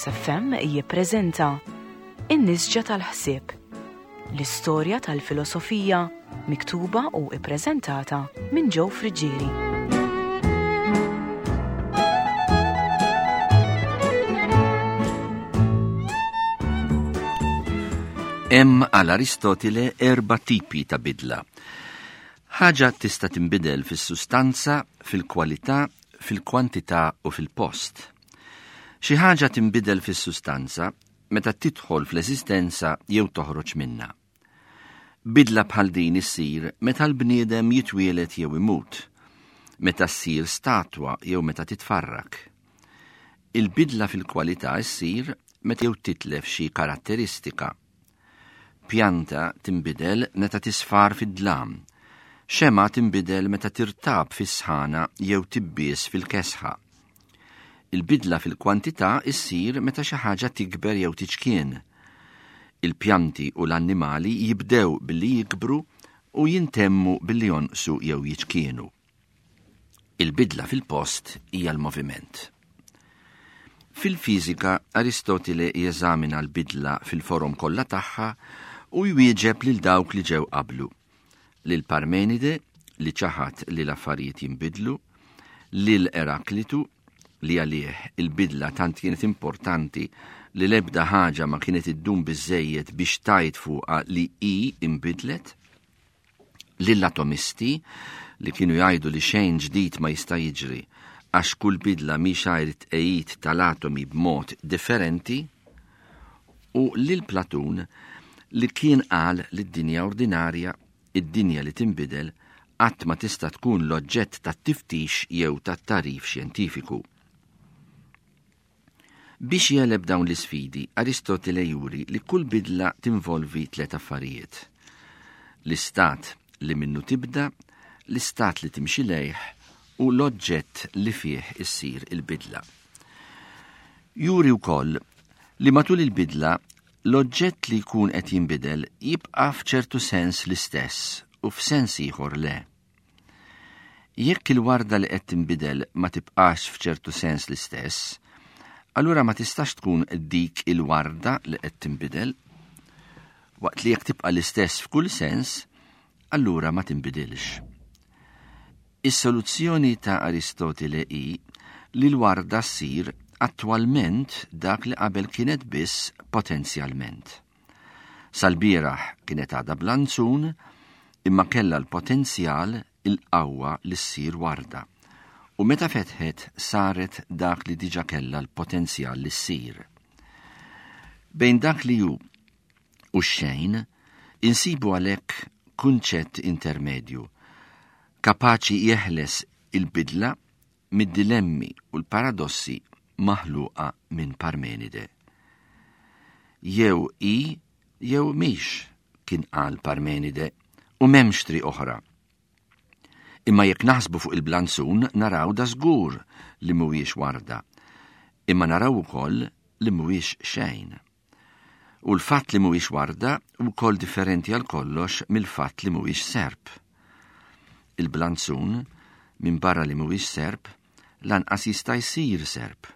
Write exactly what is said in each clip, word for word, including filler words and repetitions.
L-Agius F M jippreżenta In-Nisġa tal-Ħsieb, l-istorja tal-filosofija miktuba u ippreżentata minn Joe Friggieri. Hemm għal Aristotile erba' tipi ta' bidla. Ħaġa tista' tinbidel fis-sustanza, fil-kwalità, fil-kwantità u fil-post. Xi ħaġa tinbidel fis-sustanza meta tidħol fl-eżistenza jew toħroġ minnha. Bidla bħal din issir meta l-bniedem jitwieled jew imut, meta ssir statwa jew meta titfarrak. Il-bidla fil-kwalità ssir meta jew titlef xi karatteristika. Pjanta tinbidel meta tisfar fid-dlam, xema tinbidel meta tirtab fis-sħana jew tibbies fil-kesħa. Il-bidla fil-kwantità issir meta xi ħaġa tikber jew tiċkien. Il-pjanti u l-annimali jibdew billi jikbru u jintemmu billi jonqsu jew jiċkienu. Il-bidla fil-post hija l-moviment. Fil-fiżika, Aristotile jeżamina l-bidla fil-forom kollha tagħha u jwieġeb lil dawk li ġew qablu. Lil Parmenide, li ċaħad li l-affarijiet jinbidlu, lil Eraklitu, li għalih il-bidla tant kienet importanti li l-ebda ħaġa ma kienet iddum biżżejjed biex tajt fuqha li hi inbidlet, lill-atomisti li kienu jgħidu li xejn ġdid ma jista' jiġri għax kull bidla mhix għajr it-tqegħid tal-atomi b'mod differenti, u lil Platun li kien qal li d-dinja ordinarja, id-dinja li tinbidel, qatt ma tista' tkun l-oġġett tat-tiftix jew tat-tagħrif xjentifiku. Biex jeleb dawn l-isfidi, Aristotele juri li kull bidla tinvolvi tliet affarijiet. L-istat li minnu tibda, l-istat li timxi lejh u l-oġġett li fih issir il-bidla. Juri wkoll li matul il-bidla l-oġġett li jkun qed jinbidel jibqa' f'ċertu sens l-istess u f'sens ieħor le. Jekk il-warda li qed tinbidel ma tibqax f'ċertu sens l-istess, allura ma tistax tkun dik il-warda li qed tinbidel, waqt li jekk tibqa' l-istess f'kull sens, allura ma tinbidilx. Is-soluzzjoni ta' Aristotele hi li l-warda ssir attwalment dak li qabel kienet biss potenzjalment. Sal-bieraħ kienet għadha blanzun, imma kellha l-potenzjal il-qawwa li ssir warda. U meta fetħet saret dak li diġa kellha l-potenzjal li ssir. Bejn dak li hu u xejn, insibu għalhekk kunċett intermedju, kapaċi jeħles il-bidla mid-dilemmi u l-paradossi maħluqa minn Parmenide. Jew i, jew mhix, kien qal Parmenide, u m'hemmx triq oħra. Imma jekk naħsbu fuq il-blanzun naraw da żgur li mhuwiex warda, imma naraw ukoll li mhuwiex xejn. U l-fatt li mhuwiex warda wkoll differenti għal kollox mill-fatt li mhuwiex serp. Il-blanzun, minn barra li mhuwiex serp, lanqas jista' jsir serp.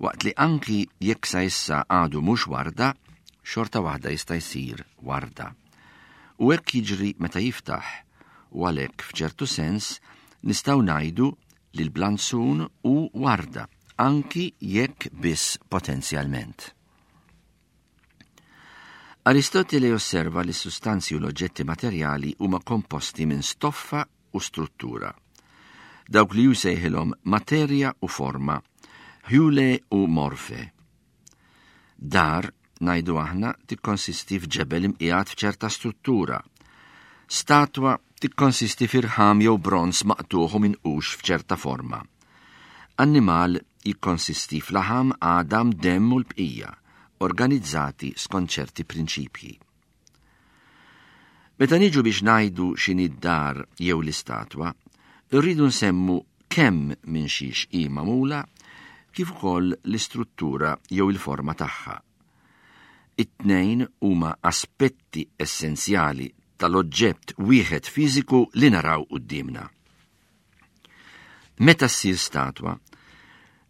Waqt li anki jekk sa issa għadu mhux warda, xorta waħda jista' jsir warda. U hekk jiġri meta jiftaħ, u għalhekk f'ċertu sens nistgħu ngħidu li l-blanzun hu warda, anki jekk biss potenzjalment. Aristotele osserva li s-sustanzi u l-oġġetti materjali huma komposti minn stoffa u struttura. Dawk li jsejħilhom materja u forma, ħjule u morfe. Dar, ngħidu aħna, tikkonsisti f'ġebel imqiegħed f'ċerta struttura. Statwa tikkonsisti f'irħam jew bronz maqtuħ u minqux f'ċerta forma. Annimal jikkonsisti f'laħam, għadam, demm u l-bqija, organizzati skont ċerti prinċipji. Meta niġu biex ngħidu x'inhi d-dar jew l-istatwa, irridu nsemmu kemm minn xiex hi magħmula kif ukoll l-istruttura jew il-forma tagħha. It-tnejn huma aspetti essenzjali tal-oġġett wieħed fiżiku li naraw quddiemna. Meta ssir statwa,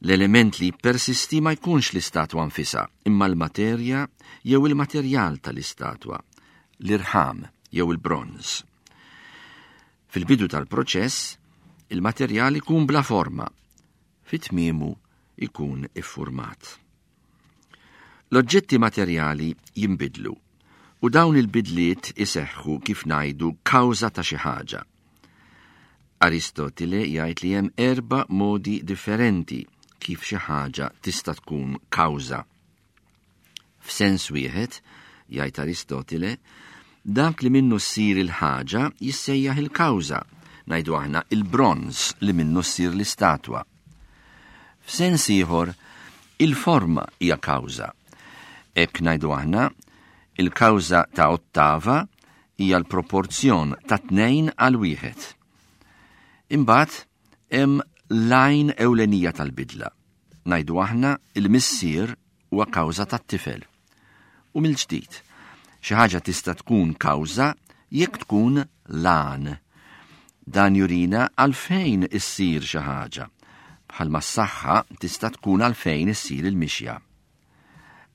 L-element li jippersisti ma jkunx l-istatwa nfisha, imma l-materja jew il-materjal tal-istatwa, l-irħam jew il-bronż. Fil-bidu tal-proċess, il-materjal ikun bla forma, fit-tmiemu ikun iffurmat. L-oġġetti materjali jinbidlu u dawn il-bidliet iseħħu kif ngħidu kawża ta' xi ħaġa. Aristotile jgħid li hemm erba' modi differenti kif xi ħaġa tista' tkun kawża. F'sens wieħed, jgħid Aristotile, dak li minnu ssir il-ħaġa jissejjaħ il-kawża, ngħidu aħna il-bronż li minnu ssir l-istatwa. F'sens ieħor, il-forma hija kawża. Hekk ngħidu aħna, il-kawża ta' ottava hija l-proporzjon ta' tnejn għal wieħed. Imbagħad hemm l-għajn ewlenija tal-bidla. Ngħidu aħna il-missier huwa kawża tat-tifel. U mill-ġdid, xi ħaġa tista' tkun kawża jekk tkun l-għan. Dan jurina għalfejn issir xi ħaġa, bħalma s-saħħa tista' tkun għalfejn issir il-mixja.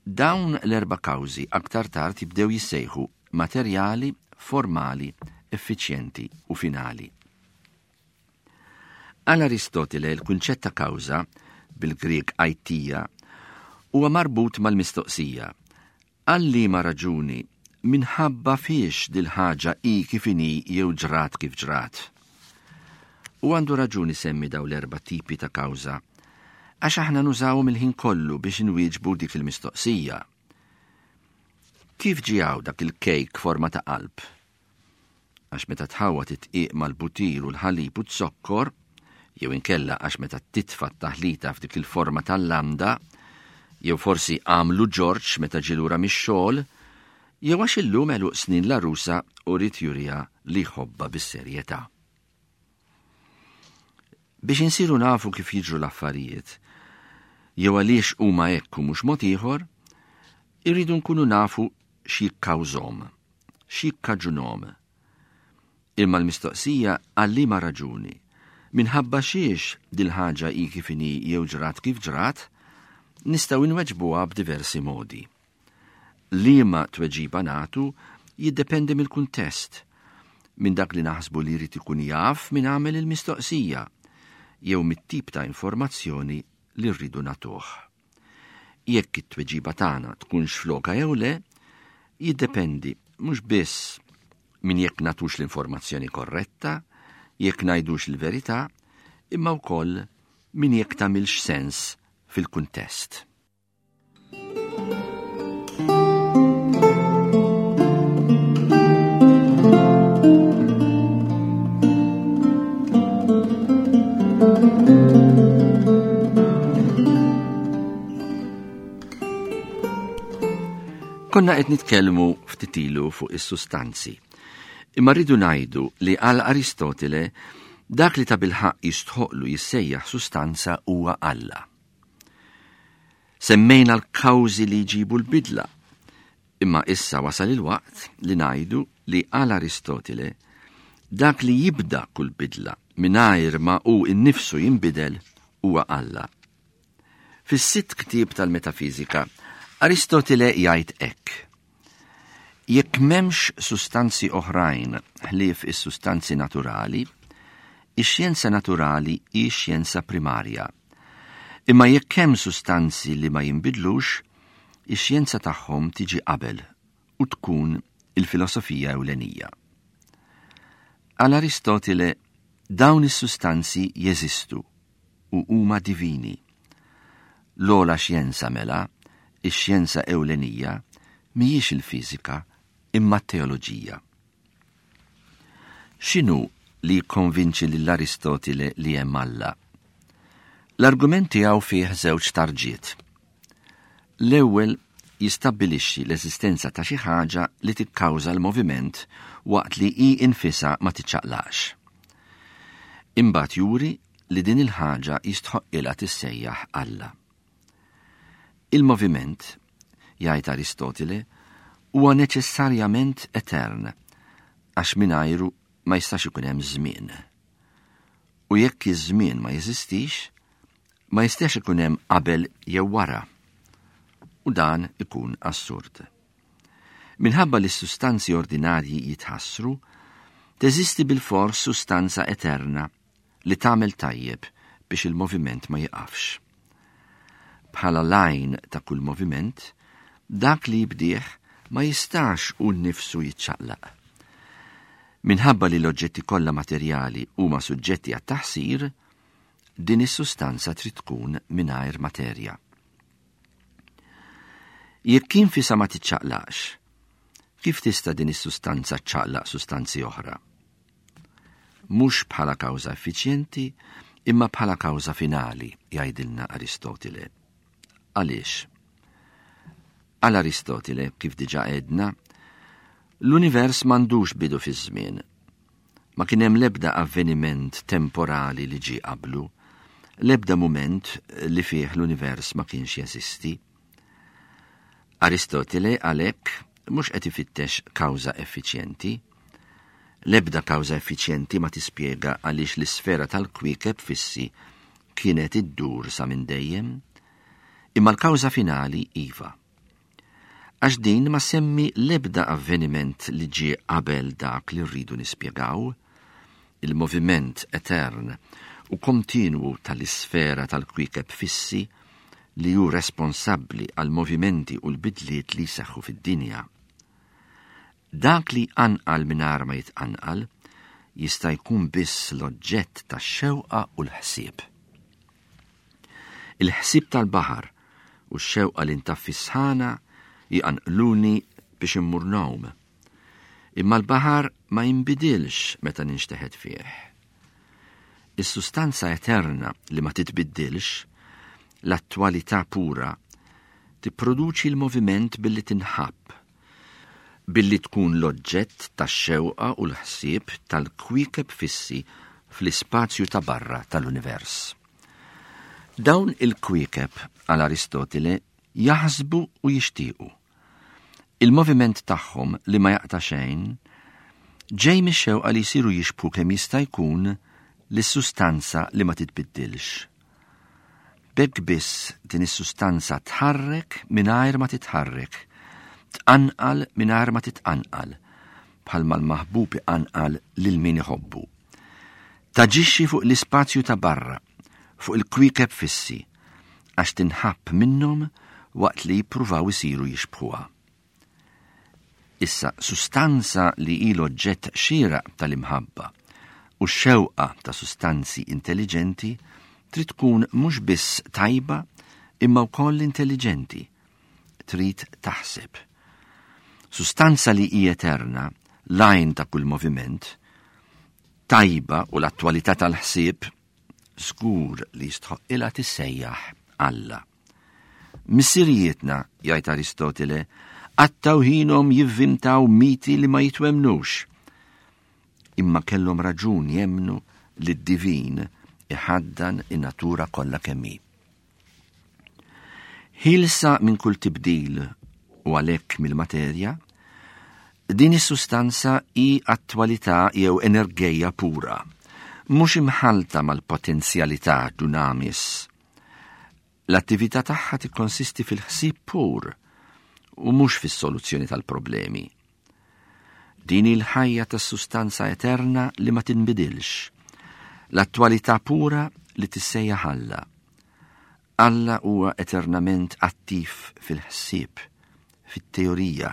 Dawn l-erba' kawżi aktar tard jibdew jissejħu materjali, formali, effiċjenti u finali. Għal Aristotile l-kunċett ta' kawża, bil-Grieg aitia, huwa marbut mal-mistoqsija. Għal liema raġuni minħabba fiex dil-ħaġa hi kif inhi jew ġrat kif ġrat. U għandu raġuni semmi daw l-erba' tipi ta' kawża, għax aħna nużawhom il-ħin kollu biex inwieġbu dik il-mistoqsija. Kif ġie hawn dak il-kejk forma ta' qalb? Għax meta tħawwad it-tqiq mal-butir u l-ħalib u z-zokkor, jew inkella għax meta titfa' t-taħlita f'dik il-forma tal-lambda, jew forsi għamlu Ġorġ meta ġie lura mix-xogħol, jew għax illum għeluq snin l-għarusa u ried juriha li jħobbha bis-serjetà. Biex insiru nafu kif jiġru l-affarijiet, jew għaliex huma hekk u mhux mod ieħor, irridu nkunu nafu x'jikkawżhom, x'jikkaġunhom. Imma l-mistoqsija għal liema raġuni, minħabba xiex dil-ħaġa hi kif inhi jew ġrat kif ġrat, nistgħu nweġbuha b'diversi modi. Liema tweġiba nagħtu jiddependi mill-kuntest, minn dak li naħsbu li jrid ikun jaf min għamel il-mistoqsija, jew mit-tip ta' informazzjoni li rridu nagħtuh. Jekk it-tweġiba tagħna tkunx floka jew le, jiddependi mhux biss minn jekk nagħtux l-informazzjoni korretta, jekk ngħidux il-verità, imma wkoll minn jekk tagħmilx sens fil-kuntest. Konna qed nitkellmu ftit ilu fuq is-sustanzi. Imma rridu ngħidu li għal Aristotile dak li ta' bilħaqq jistħoqlu jissejjaħ sustanza huwa Alla. Semmejna l-kawżi li jġibu l-bidla, imma issa wasal il-waqt li ngħidu li għal Aristotile dak li jibda kull bidla mingħajr ma hu nnifsu jinbidel huwa Alla. Fis-sitt ktieb tal-Metafiżika, Aristotile jgħid hekk: jekk m'hemmx sustanzi oħrajn ħlief is-sustanzi naturali, ix-xjenza naturali hi xjenza primarja. Imma jekk hemm sustanzi li ma jinbidlux, ix-xjenza tagħhom tiġi qabel u tkun il-filosofija ewlenija. Għal Aristotile dawn is-sustanzi jeżistu u huma divini. L-ogħla xjenza mela, ix-xjenza ewlenija, mhijiex il-fiżika imma t-teoloġija. X'inhu li jikkonvinċi lil Aristotile li hemm Alla? L-argument tiegħu fih żewġ tarġiet. L-ewwel jistabbilixxi l-eżistenza ta' xi ħaġa li tikkawża l-moviment waqt li hi infisha ma tiċċaqlax. Imbagħad juri li din il-ħaġa jistħoqqilha tissejjaħ Alla. Il-moviment, jgħid Aristotile, huwa neċessarjament etern, għax mingħajru ma jistax ikun hemm żmien. U jekk iż-żmien ma jeżistix, Ma jistax ikun hemm qabel jew wara. U dan ikun assurd. Minħabba li s-sustanzi ordinarji jitħassru, teżisti bilfors sustanza eterna li tagħmel tajjeb biex il-moviment ma jiqafx. Bħala l-għajn ta' kull moviment, dak li jibdih ma jistax hu nnifsu jiċċaqlaq. Minħabba li l-oġġetti kollha materjali huma suġġetti għat-taħsir, din is-sustanza trid tkun mingħajr materja. Jekk infisha ma tiċċaqlaqx, kif tista' din is-sustanza ċċaqlaq sustanzi oħra? Mhux bħala kawża effiċjenti, imma bħala kawża finali, jgħidilna Aristotile. Għaliex? Għal Aristotile, kif diġà għedna, l-univers m'għandux bidu fiż-żmien. Ma kien hemm l-ebda avveniment temporali li ġie qablu, l-ebda mument li fih l-univers ma kienx jeżisti. Aristotile għalhekk mhux qed ifittex kawża effiċjenti. L-ebda kawża effiċjenti ma tispjega għaliex l-isfera tal-kwiekeb fissi kienet iddur sa minn dejjem, imma l-kawża finali iva. Għax din ma semmi l-ebda avveniment li ġie qabel dak li rridu nispjegaw, il-moviment etern u kontinwu tal-isfera tal-kwiekeb fissi li hu responsabbli għal movimenti u l-bidliet li jseħħu fid-dinja. Dak li jqanqal mingħajr ma jitqanqal jista' jkun biss l-oġġett tax-xewqa u l-ħsieb. Il-ħsieb tal-baħar u x-xewqa li ntaffi sħana jqanqluni biex immur ngħum. Imma l-baħar ma jinbidilx meta ninxteħet fih. Is-sustanza eterna li ma titbiddilx, l-attwalità pura, tipproduċi l-moviment billi tinħabb, billi tkun l-oġġett tax-xewqa u l-ħsieb tal-kwiekeb fissi fl-ispazju ta' barra tal-univers. Dawn il-kwiekeb għal Aristotile jaħsbu u jixtiequ. Il-moviment tagħhom li ma jaqta' xejn ġej mix-xewqa li jsiru jixbħu kemm jista' jkun lis-sustanza li ma titbiddilx. B'hekk biss din is-sustanza tħarrek mingħajr ma titħarrek, tqanqal mingħajr ma titqanqal, bħalma l-maħbub iqanqal lil min iħobbu. Taġixxi fuq l-ispazju ta' barra, fuq il-kwiekeb fissi, għax tinħabb minnhom waqt li jippruvaw isiru jixbħuha. Issa, sustanza li hi l-oġġett xieraq tal-imħabba u x-xewqa ta' sustanzi intelligenti trid tkun mhux biss tajba imma wkoll intelligenti, trid taħseb. Sustanza li hi eterna, l-għajn ta' kull moviment, tajba u l-attwalità tal-ħsieb, żgur li jistħoqqilha tissejjaħ Alla. Missirijietna, jgħid Aristotile, qattgħu ħinhom jivvintaw miti li ma jitwemnux. Imma kellhom raġun jemmnu li d-divin iħaddan in-natura kollha kemm hi. Ħielsa minn kull tibdil u għalhekk mill-materja, din is-sustanza hi attwalità jew enerġija pura, mhux imħalta mal-potenzjalità dunamis. L-attività tagħha tikkonsisti fil-ħsieb pur u mhux fis-soluzzjoni tal-problemi. Din il-ħajja tas-sustanza eterna li ma tinbidilx, l-attwalità pura li tissejjaħ Alla. Alla huwa eternament attiv fil-ħsieb, fit-teorija,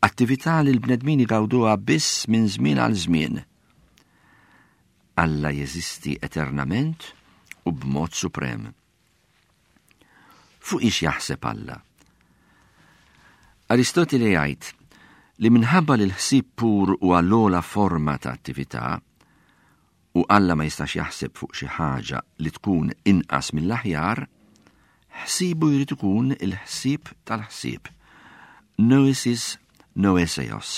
attività li l-bnedmin igawduha biss minn żmien għal żmien. Alla jeżisti eternament u b'mod suprem. Fuq ix jaħseb Alla? Aristotile jgħid li minħabba li l-ħsieb pur huwa l-ogħla forma ta' attività u Alla ma jistax jaħseb fuq xi ħaġa li tkun inqas mill-aħjar, ħsibu jrid ikun il-ħsieb tal-ħsieb. Noesis noeseos.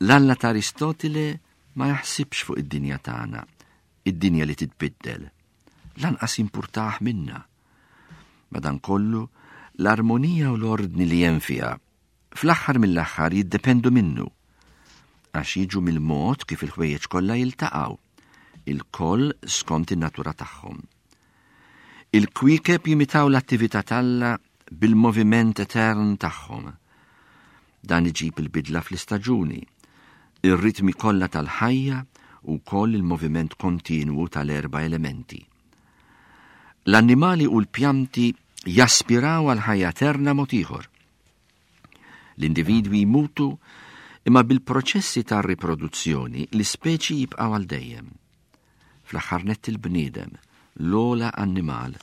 L-Alla ta' Aristotile ma jaħsibx fuq id-dinja tagħna, id-dinja li titbiddel. Lanqas jimpurtah minna. Madankollu, l-armonija u l-ordni li hemm fiha fl-aħħar mill-aħħar jiddependu minnu, għax jiġu mill-mod kif il-ħwejjeġ kollha jiltaqgħu, il-koll skont in-natura tagħhom. Il-kwiekeb jimitaw l-attività t'Alla bil-moviment etern tagħhom. Dan iġib il-bidla fl-istaġuni, ir-ritmi kollha tal-ħajja u wkoll il-moviment kontinwu tal-erba' elementi. L-annimali u l-pjanti jaspiraw għal ħajja eterna mod ieħor. L-individwi jmutu imma bil-proċessi ta' riproduzzjoni l-ispeċi jibqgħu għal dejjem. Fl-aħħar nett il-bniedem, l-ogħla annimal,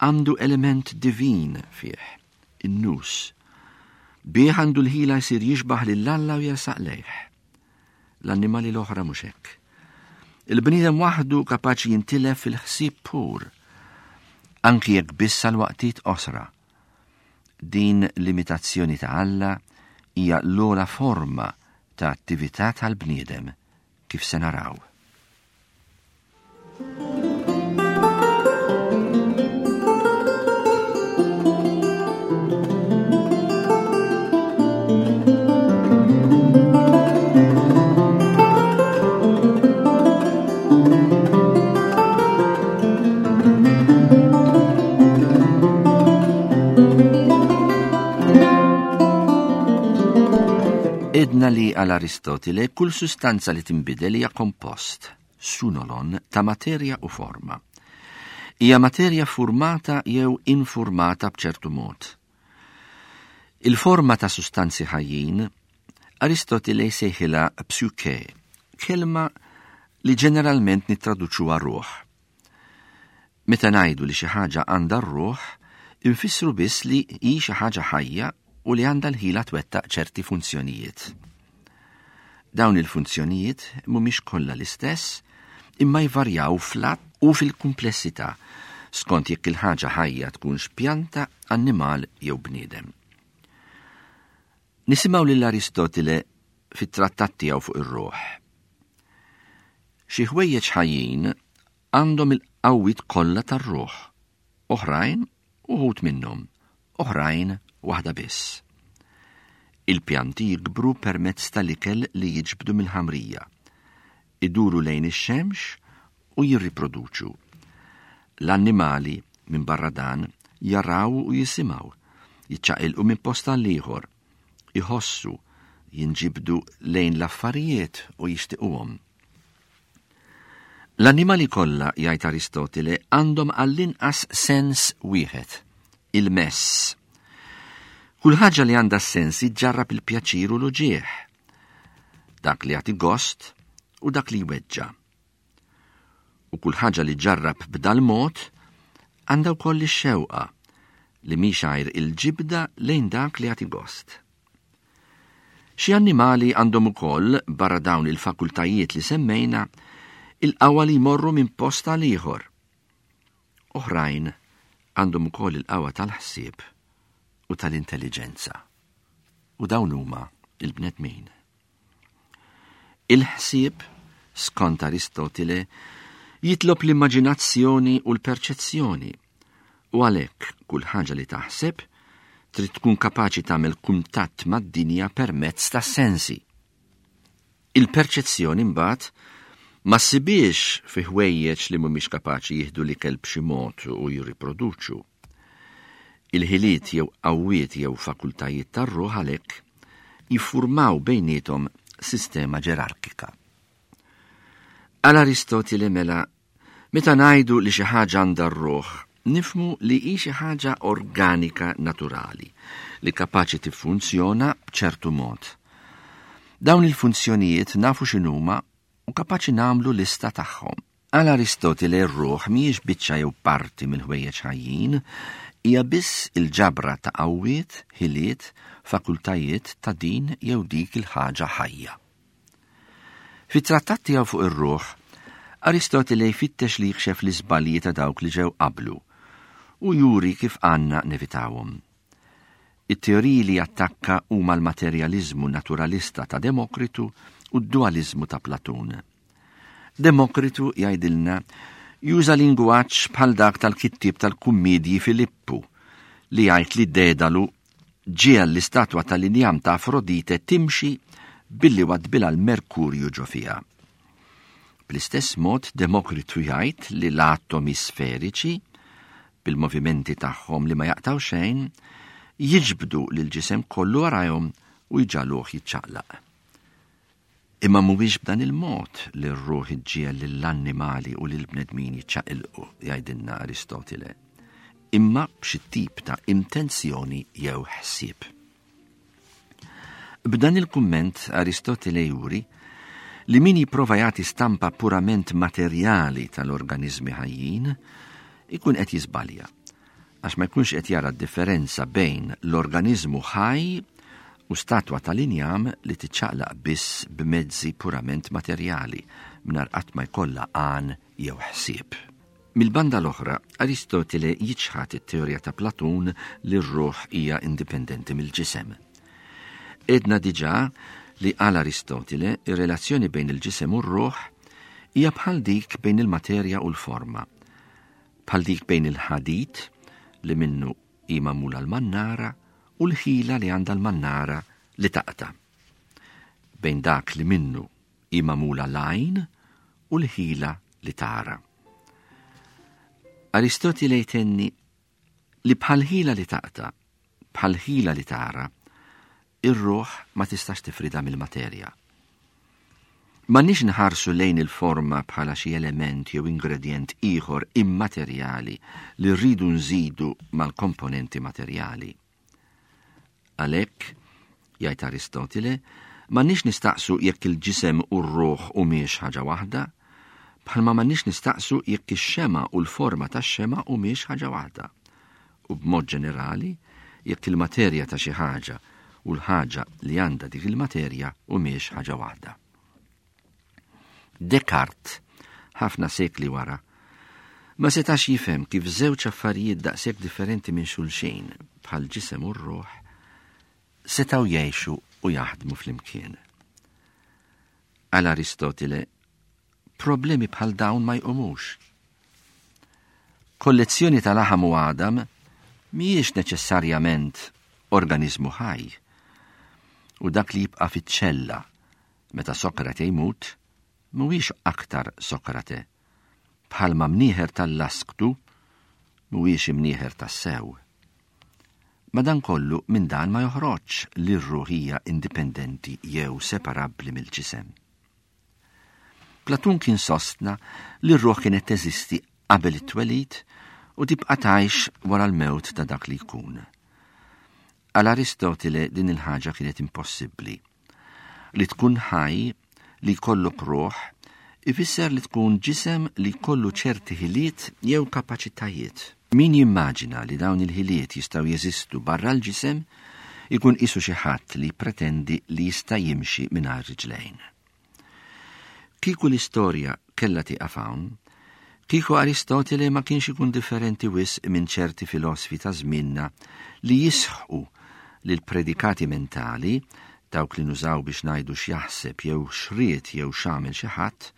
għandu element divin fih, in-nous. Bih għandu l-ħila jsir jixbaħ lil Alla u jersaq lejh. L-annimali l-oħra mhux hekk. Il-bniedem waħdu kapaċi jintilef fil-ħsieb pur, anki jekk biss għal waqtiet qosra. Din l-imitazzjoni ta' Alla hija l-ogħla forma ta' attività tal-bniedem, kif se naraw. Edna li għal Aristotile kull sustanza li tinbidel hija kompost, sunolon, ta' materja u forma. Hija materja formata jew informata b'ċertu mod. Il-forma ta' sustanzi ħajjin Aristotile jsejħilha psyche, kelma li ġeneralment nittraduċuha ruħ. Meta ngħidu li xi ħaġa għandha r-ruħ, infissru biss li hi xi ħaġa ħajja u li għandha l-ħila twettaq ċerti funzjonijiet. Dawn il-funzjonijiet mhumiex kollha l-istess, imma jvarjaw fl-att u fil-kumplessità skont jekk il-ħaġa ħajja tkunx pjanta, annimal jew bniedem. Nisimgħu lil Aristotile fit-trattat tiegħu fuq ir-ruħ. Xi ħwejjeġ ħajjin għandhom il-qawwiet kollha tar-ruħ, oħrajn uħud minnhom, oħrajn waħda biss. Il-pjanti jikbru permezz tal-ikel li jiġbdu mill-ħamrija, iduru lejn ix-xemx u jirriproduċu. L-annimali minn barra dan jaraw u jisimgħu, jiċċaqilqu minn post għal ieħor, iħossu, jinġibdu lejn l-affarijiet u jixtiequhom. L-annimali kollha, jgħid Aristotile, għandhom għall-inqas sens wieħed, il-mess. Kull ħaġa li għandha sens iġġarrab il-pjaċir u l-uġieħ, dak li jagħti gost u dak li jweġġa'. U kull ħaġa li ġarrab b'dal mod għandha wkoll ix-xewqa li mhix għajr il-ġibda lejn dak li jagħti gost. Xi annimali għandhom ukoll, barra dawn il-fakultajiet li semmejna, il-qawwa li jmorru minn post għal ieħor. Oħrajn għandhom ukoll il-qawwa tal-ħsieb u tal-intelligenza. U dawn huma il-bnedmin. Il-ħsieb, skont Aristotile, jitlob l-immaġinazzjoni u l-perċezzjoni, u għalhekk kull ħaġa li taħseb trid tkun kapaċi tagħmel kuntatt mad-dinja permezz tas-sensi. Il-perċezzjoni mbagħad ma ssibiex fi ħwejjeġ li mhumiex kapaċi jieħdu l-ikel b'xi mod u jirriproduċu. Il-ħiliet jew qawwiet jew fakultajiet tar-ruħ għalhekk jiffurmaw bejniethom sistema ġerarkika. Għal Aristotile mela, meta ngħidu li xi ħaġa għandha r-ruħ, nifhmu li hi xi ħaġa organika naturali li kapaċi tiffunzjona b'ċertu mod. Dawn il-funzjonijiet nafu x'inhuma u kapaċi nagħmlu lista tagħhom. Għal Aristotile r-ruħ mhijiex biċċa jew parti mill-ħwejjeġ ħajjin, hija biss il-ġabra ta' qawwiet, ħiliet, fakultajiet ta' din jew dik il-ħaġa ħajja. Fit-trattat tiegħu fuq ir-ruħ, Aristotile jfittex li jikxef l-iżbalji ta' dawk li ġew qablu u juri kif għandna nevitawhom. It-teoriji li jattakka huma l-materjaliżmu naturalista ta' Demokritu u d-dualizmu ta' Platun. Demokritu, jgħidilna, juża lingwaġġ bħal dak tal-kittieb tal-kummedji Filippu li jgħid li Dedalu ġiegħel l-istatwa tal-injam ta' Afrodite timxi billi wadbilha l-Merkurju ġo fiha. Bl-istess mod Demokritu jgħid li l-atomi sferiċi, bil-movimenti tagħhom li ma jaqtaw xejn, jiġbdu lill-ġisem kollu warajhom u jġagħluh jiċċaqlaq. Imma mhuwiex b'dan il-mod li r-ruħ iġġiegħel lill-annimali u lill-bnedmin jiċċaqilqu, jgħidilna Aristotile, imma b'xi tip ta' intenzjoni jew ħsieb. B'dan il-kumment Aristotile juri li min jipprova jagħti stampa purament materjali tal-organizmi ħajjin ikun qed jiżbalja, għax ma jkunx qed jara d-differenza bejn l-organizmu ħaj u statwa tal-injam li tiċċaqlaq biss b'mezzi purament materjali mingħajr qatt ma jkollha għan jew ħsieb. Mill-banda l-oħra, Aristotile jiċħad it-teorija ta' Platun li r-ruħ hija indipendenti mill-ġisem. Għedna diġà li għal Aristotile ir-relazzjoni bejn il-ġisem u r-ruħ hija bħal dik bejn il-materja u l-forma, bħal dik bejn il-ħadid li minnu hi magħmula l-mannara u l-ħila li għandha l-mannara li taqta', bejn dak li minnu hi magħmula l-għajn u l-ħila li tara. Aristotile jtenni li bħal ħila li taqta', bħal ħila li tara, ir-ruħ ma tistax tifrida mill-materja. M'għandniex nħarsu lejn il-forma bħala xi element jew ingredient ieħor immaterjali li rridu nżidu mal-komponenti materjali. Għalhekk, jgħid Aristotile, m'għandniex nistaqsu jekk il-ġisem u r-ruħ humiex ħaġa waħda, bħalma m'għandniex nistaqsu jekk ix-xema u l-forma tax-xema humiex ħaġa waħda. U b'mod ġenerali, jekk il-materja ta' xi ħaġa u l-ħaġa li għandha dik il-materja humiex ħaġa waħda. Descartes, ħafna sekli wara, ma setax jifhem kif żewġ affarijiet daqshekk differenti minn xulxin bħal ġisem u r-ruħ setgħu jgħixu u jaħdmu flimkien. Għal Aristotile, problemi bħal dawn ma jqumux. Kollezzjoni ta' laħam u għadam mhijiex neċessarjament organizmu ħaj, u dak li jibqa' fiċ-ċella meta Sokrate jmut mhuwiex aktar Sokrate, bħalma mnieħer tal-lasktu mhuwiex imnieħer tas-sew. Madankollu minn dan ma joħroġx li r-ruħ hija indipendenti jew separabbli mill-ġisem. Platun kien sostna li r-ruħ kienet teżisti qabel it-twelid u tibqa' tgħix wara l-mewt ta' dak li jkun. Għal Aristotile din il-ħaġa kienet impossibbli. Li tkun ħaj, li jkollok ruħ, ifisser li tkun ġisem li jkollu ċerti ħiliet jew kapaċitajiet. Min jimmaġina li dawn il-ħiliet jistgħu jeżistu barra l-ġisem ikun qisu xi ħadd li pretendi li jista' jimxi mingħajr riġlejn. Kieku l-istorja kellha tieqaf hawn, kieku Aristotile ma kienx ikun differenti wisq minn ċerti filosfi ta' żmienna li jisħqu li l-predikati mentali, dawk li nużaw biex ngħidu x'jaħseb jew x'ried jew x'għamel xi ħadd,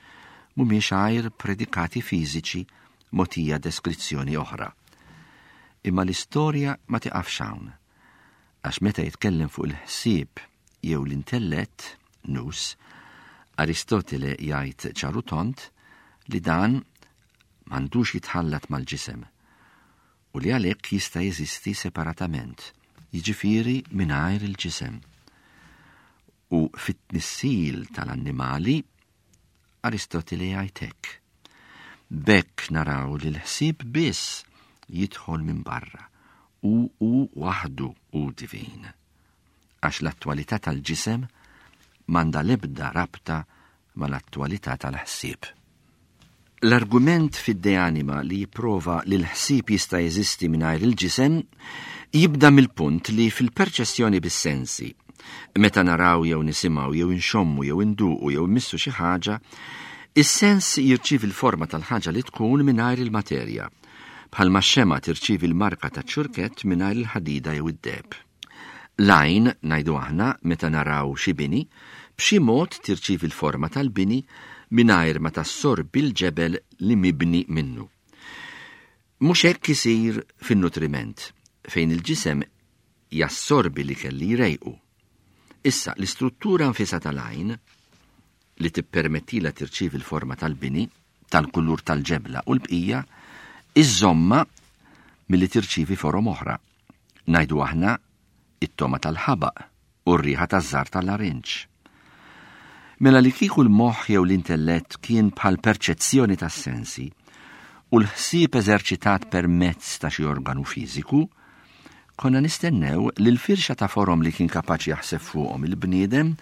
mhumiex għajr predikati fiżiċi mogħtija deskrizzjoni oħra. Imma l-istorja ma tiqafx hawn, għax meta jitkellem fuq il-ħsieb jew l-intellett, nous, Aristotile jgħid ċar u tond li dan m'għandux jitħallat mal-ġisem u li għalhekk jista' jeżisti separatament, jiġifieri mingħajr il-ġisem. U fit-tnissil tal-annimali, Aristotile jgħid hekk. B'hekk naraw li l-ħsieb biss jidħol minn barra u hu waħdu hu divin, għax l-attwalità tal-ġisem m'għandha l-ebda rabta mal-attwalità tal-ħsieb. L-argument fid-De Anima li jipprova li l-ħsieb jista' jeżisti mingħajr il-ġisem jibda mill-punt li fil-perċessjoni bis-sensi, meta naraw jew nisimgħu jew inxommu jew induqu jew immissu xi ħaġa, is-sens jirċievi l-forma tal-ħaġa li tkun mingħajr il-materja, bħalma x-xema tirċievi l-marka taċ-ċurkett mingħajr il-ħadida jew id-deheb. L-għajn, ngħidu aħna, meta naraw xi bini, b'xi mod tirċievi l-forma tal-bini mingħajr ma tassorbi l-ġebel li mibni minnu. Mhux hekk isir fin-nutriment, fejn il-ġisem jassorbi li kelli jrejqu. Issa, l-istruttura nfisha tal-għajn, li tippermettila tirċievi l-forma tal-bini, tal-kulur tal-ġebla u l-bqija, iżomma milli tirċievi forom oħra. Ngħidu aħna it-togħma tal-ħabaq u r-riħa taż-żahar tal-larinġ. Mela li kieku l-moħħ jew l-intellett kien bħal perċezzjoni tas-sensi u l-ħsieb eżerċitat permezz ta' xi organu fiżiku, konna nistennew li l-firxa ta' forom li kien kapaċi jaħseb fuqhom il-bniedem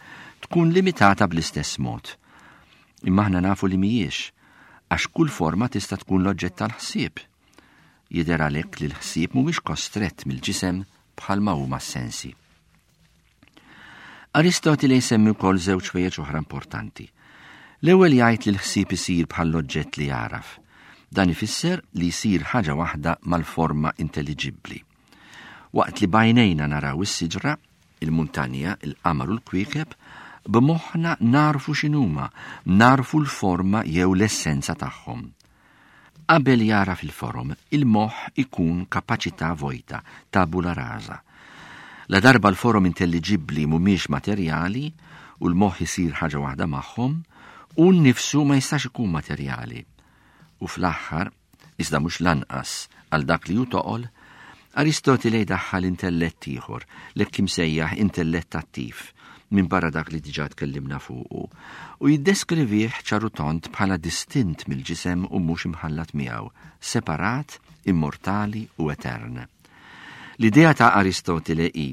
tkun limitata bl-istess mod. Imma aħna nafu li mhijiex, għax kull forma tista' tkun l-oġġett tal-ħsieb. Jidher għalhekk li l-ħsieb mhuwiex kostrett mill-ġisem bħalma huma s-sensi. Aristotile jsemmi wkoll żewġ ħwejjeġ oħra importanti. L-ewwel jgħid li l-ħsieb isir bħall-oġġett li jagħraf. Dan ifisser li jsir ħaġa waħda mal-forma intelliġibbli. Waqt li b'għajnejna naraw is-siġra, il-muntanja, il-qamar u l-kwiekeb, b'moħħna narfu x'inhuma, narfu l-forma jew l-essenza tagħhom. Qabel jagħraf il-forom, il-moħħ ikun kapaċità vojta, tabula rasa. La darba l-forom intelliġibbli mhumiex materjali u l-moħħ isir ħaġa waħda magħhom, u nnifsu ma jistax ikun materjali. U fl-aħħar, iżda mhux lanqas għal dak li hu toqol, Aristotile jdaħħal intellett ieħor, l-hekk imsejjaħ intellett attiv, minn barra dak li diġà tkellimna fuqu, u jiddeskrivih ċar u tond bħala distint mill-ġisem u mhux imħallat miegħu, separat, immortali u etern. L-idea ta' Aristotile hi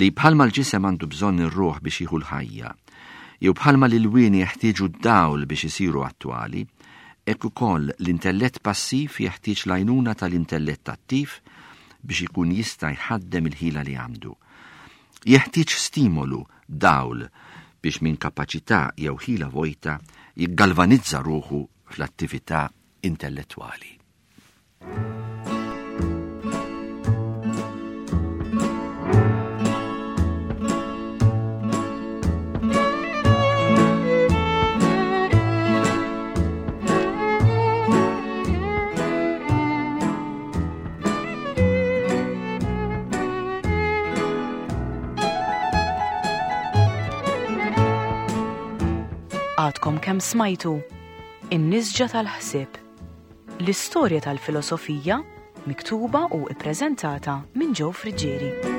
li bħalma l-ġisem għandu bżonn ir-ruħ biex jieħu l-ħajja, jew bħalma l-ilwien jeħtieġu d-dawl biex isiru attwali, hekk ukoll l-intellett passiv jeħtieġ l-għajnuna tal-intellett attiv biex ikun jista' jħaddem il-ħila li għandu. Jeħtieġ stimolu, dawl, biex minn kapaċità jew ħila vojta jiggalvanizza ruħu fl-attività intellettwali. Għadkom kemm smajtu In-Nisġa tal-Ħsieb, l-istorja tal-filosofija miktuba u ippreżentata minn Joe Friggieri.